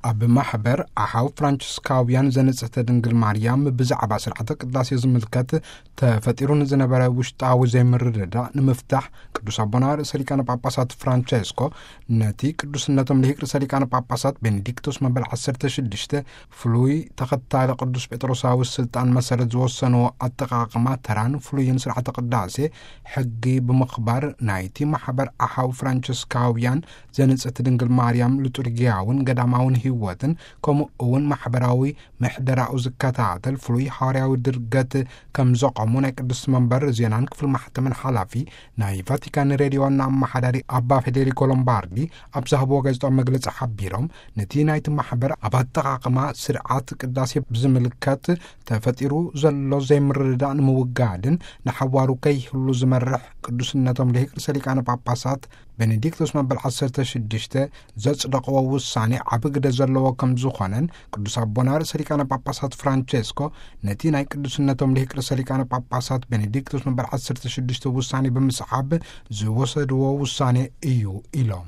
ኣብ ማሕበር ኣሓው ፍራንቺስካውያን ዘንጽሕተ ድንግል ማርያም ብዛዕባ ስርዓተ ቅዳሴ ዝምልከት ተፈጢሩ ንዝነበረ ውሽጣዊ ዘይምርድዳእ ንምፍታሕ፣ ቅዱስ ኣቦና ርእሰ ሊቃነ ጳጳሳት ፍራንቸስኮ ነቲ ቅዱስነቶም ልሂቅ ርእሰ ሊቃነ ጳጳሳት ቤኔዲክቶስ መበል ዓሰርተ ሽዱሽተ ፍሉይ ተኸታሊ ቅዱስ ጴጥሮሳዊ ስልጣን መሰረት ዝወሰንዎ ኣጠቓቕማ ተራን ፍሉይን ስርዓተ ቅዳሴ ሕጊ ብምኽባር፣ ናይቲ ማሕበር ኣሓው ፍራንቸስካውያን ዘንጽሕቲ ድንግል ማርያም ሉጡርጊያውን ገዳማውን ህይወትን፣ ከምኡ እውን ማሕበራዊ ምሕደራኡ ዝከታተል ፍሉይ ሃዋርያዊ ድርገት ከም ዘቆሙ ናይ ቅዱስ መንበር ዜናን ክፍል ማሕተምን ሓላፊ ናይ ቫቲካን ሬድዮ ዋና ኣመሓዳሪ ኣባ ፌዴሪኮ ሎምባርዲ ኣብ ዝሃብዎ ጋዜጣዊ መግለጺ ሓቢሮም፣ ነቲ ናይቲ ማሕበር ኣብ ኣጠቓቕማ ስርዓት ቅዳሴ ብዝምልከት ተፈጢሩ ዘሎ ዘይምርድዳእ ንምውጋድን ንሓዋሩ ከይህሉ ዝመርሕ ቅዱስነቶም ልሂቅ ርእሰ ሊቃነ ጳጳሳት ቤኔዲክቶስ መበል ዓሰርተ ሽዱሽተ ዘጽደቕዎ ውሳኔ ዓቢ ግደ ዘለዎ ከም ዝኾነን፣ ቅዱስ ኣቦና ርእሰ ሊቃነ ጳጳሳት ፍራንቸስኮ ነቲ ናይ ቅዱስነቶም ልሂቅ ርእሰ ሊቃነ ጳጳሳት ቤኔዲክቶስ መበል ዓሰርተ ሽዱሽተ ውሳኔ ብምስዓብ ዝወሰድዎ ውሳኔ እዩ ኢሎም።